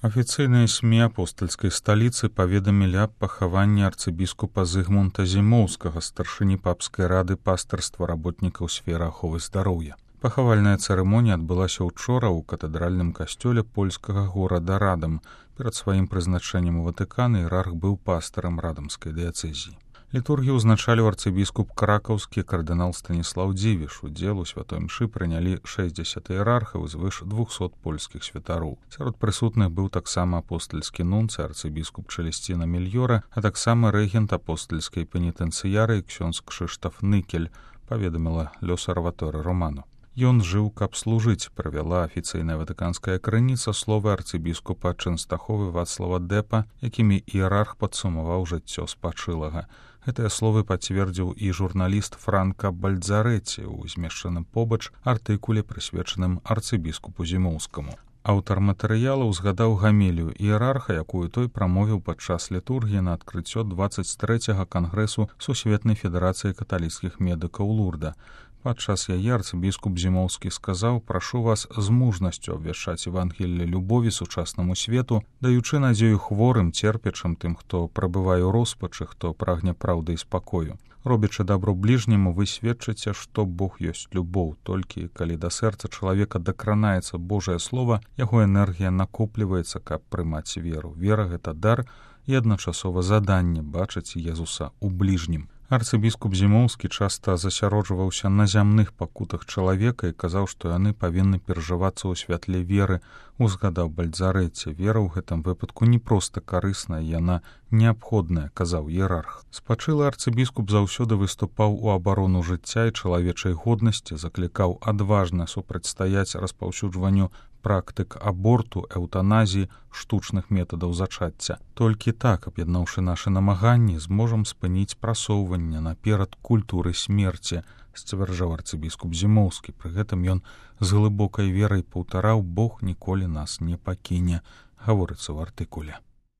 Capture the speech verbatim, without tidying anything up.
Афіцыйныя СМІ апостальскай сталіцы паведамілі аб пахаванні арцыбіскупа Зыгмунта Зімоўскага, старшыні папскай рады пастырства работнікаў сферы аховы здароўя. Пахавальная цырымонія адбылася ўчора ў катэдральным касцёле польскага горада Радам. Перад сваім прызначэннем у Ватыкан іерарх быў пастарам радамскай дыяцэзіі. Літургію ўзначаліў арцыбіскуп кракаўскі кардынал Станіслаў Дзівіш. Удзел у святой мшы прынялі шэсцьдзесят іерархаў і звыш двухсот польскіх святароў. Сярод прысутных быў таксама апостальскі нунцый арцыбіскуп Чэлесціна Мільёра, а таксама рэгент апостальскай пенітэнцыярыі ксёндз Кшыштаф Ныкель, паведаміла Лёсарваторы Роману. Ён жыў, каб служыць, правяла афіцыйная ватыканская крыніца словы арцыбіскупа Чэнстаховы Вацлава Дэпа, якімі іерарх падсумаваў жыццё спачылага. Гэтыя словы пацвердзіў і журналіст Франка Бальдзарэці ў змешчаным побач артыкуле, прысвечаным арцыбіскупу Зімоўскаму. Аўтар матэрыялу ўзгадаў гамелію іерарха, якую той прамовіў падчас літургіі на адкрыццё дваццаць трэцяга кангрэсу Сусветнай федэрацыі каталіцкіх медыкаў Лурда. Падчас яе арцыбіскуп Зімоўскі сказаў: «Прашу вас з мужнасцю абвяшчаць Евангелле любові сучаснаму свету, даючы надзею хворым, церпячым, тым, хто прабывае ў роспачы, хто прагне праўды і спакою. Робячы дабро бліжняму, вы сведчыце, што Бог ёсць любоў. Толькі калі да сэрца чалавека дакранаецца Божае слова, яго энергія накопліваецца, каб прымаць веру. Вера — гэта дар і адначасова заданне бачыць Езуса ў бліжнім». Арцыбіскуп Зімоўскі часта засяроджваўся на зямных пакутах чалавека і казаў, што яны павінны перажывацца ў святле веры. Узгадаў Бальдзарэці: «Вера ў гэтым выпадку не проста карысная, яна неабходная», — казаў іерарх. Спачылы арцыбіскуп заўсёды выступаў у абарону жыцця і чалавечай годнасці, заклікаў адважна супрацьстаяць распаўсюджванню практык аборту, эўтаназіі, штучных метадаў зачацця. Толькі так, аб'яднаўшы нашы намаганні, зможам спыніць прасоўванне наперад культуры смерці, сцвярджаў арцыбіскуп Зімоўскі. Пры гэтым ён з глыбокай верай паўтараў: «Бог ніколі нас не пакіне», гаворыцца ў артыкуле.